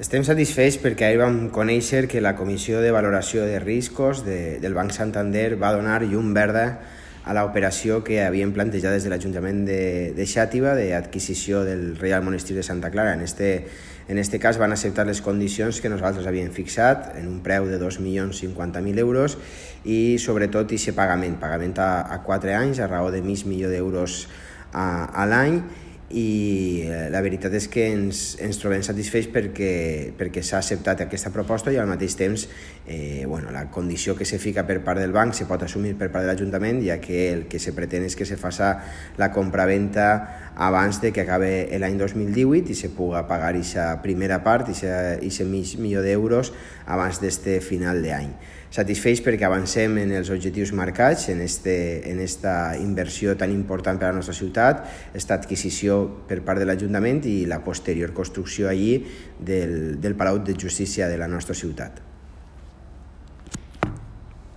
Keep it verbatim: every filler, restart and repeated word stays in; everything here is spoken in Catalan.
Estem satisfets perquè ahir vam conèixer que la Comissió de Valoració de Riscos de, del Banc Santander va donar llum verda a l'operació que havien plantejat des de l'Ajuntament de, de Xàtiva d'adquisició del Reial Monestir de Santa Clara. En este, en este cas van acceptar les condicions que nosaltres havíem fixat en un preu de dos milions cinquanta mil euros i sobretot aquest pagament, pagament a, a quatre anys a raó de mig milió d'euros a, a l'any. I la veritat és que ens, ens trobem satisfets perquè, perquè s'ha acceptat aquesta proposta i al mateix temps eh, bueno, la condició que se fica per part del banc se pot assumir per part de l'Ajuntament, ja que el que se pretén és que se faça la compraventa abans de que acabe l'any dos mil divuit i se puga pagar aquesta primera part, aquest mig milió d'euros abans d'este final d'any. Satisfets perquè avancem en els objectius marcats en, este, en esta inversió tan important per a la nostra ciutat, esta adquisició per part de l'Ajuntament i la posterior construcció allí del, del Palau de Justícia de la nostra ciutat.